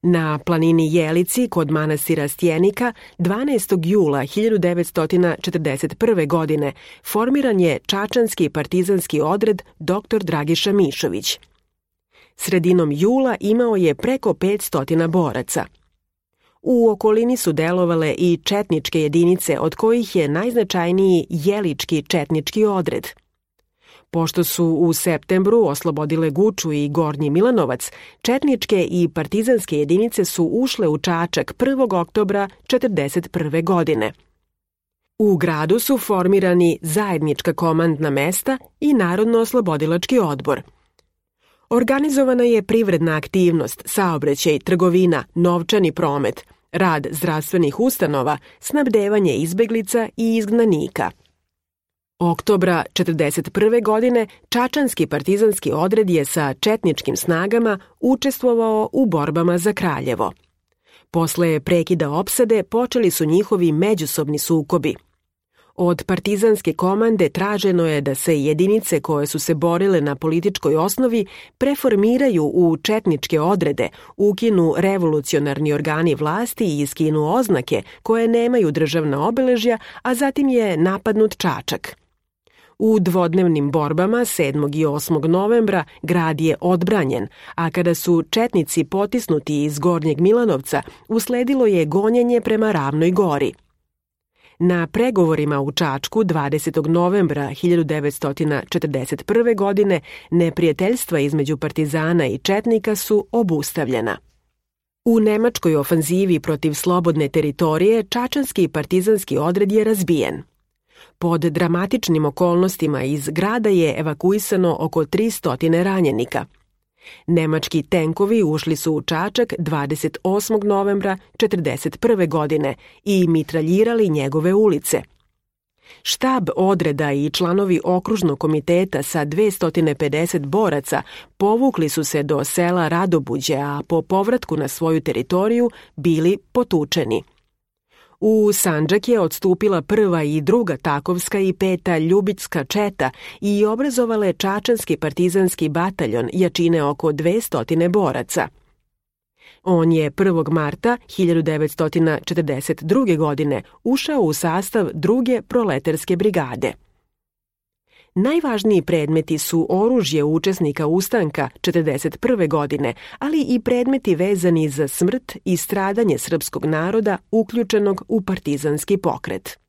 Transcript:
Na planini Jelici kod manastira Stjenika 12. jula 1941. godine formiran je čačanski partizanski odred dr. Dragiša Mišović. Sredinom jula imao je preko 500 boraca. U okolini su delovale i četničke jedinice, od kojih je najznačajniji Jelički četnički odred. Pošto su u septembru oslobodile Guču i Gornji Milanovac, četničke i partizanske jedinice su ušle u Čačak 1. oktobra 1941. godine. U gradu su formirani zajednička komandna mesta i Narodno-oslobodilački odbor. Organizovana je privredna aktivnost, saobraćaj, trgovina, novčani promet, rad zdravstvenih ustanova, snabdevanje izbeglica i izgnanika. Oktobra 1941. godine čačanski partizanski odred je sa četničkim snagama učestvovao u borbama za Kraljevo. Posle prekida opsade počeli su njihovi međusobni sukobi. Od partizanske komande traženo je da se jedinice koje su se borile na političkoj osnovi preformiraju u četničke odrede, ukinu revolucionarni organi vlasti i iskinu oznake koje nemaju državna obeležja, a zatim je napadnut Čačak. U dvodnevnim borbama 7. i 8. novembra grad je odbranjen, a kada su četnici potisnuti iz Gornjeg Milanovca, usledilo je gonjenje prema Ravnoj Gori. Na pregovorima u Čačku 20. novembra 1941. godine neprijateljstva između partizana i četnika su obustavljena. U nemačkoj ofanzivi protiv slobodne teritorije čačanski partizanski odred je razbijen. Pod dramatičnim okolnostima iz grada je evakuisano oko 300 ranjenika. Nemački tenkovi ušli su u Čačak 28. novembra 1941. godine i mitraljirali njegove ulice. Štab odreda i članovi okružnog komiteta sa 250 boraca povukli su se do sela Radobuđe, a po povratku na svoju teritoriju bili potučeni. U Sandžak je odstupila 1. i 2. Takovska i 5. Ljubička četa i obrazovale čačanski partizanski bataljon jačine oko 200 boraca. On je 1. marta 1942. godine ušao u sastav 2. proletarske brigade. Najvažniji predmeti su oružje učesnika ustanka 1941. godine, ali i predmeti vezani za smrt i stradanje srpskog naroda uključenog u partizanski pokret.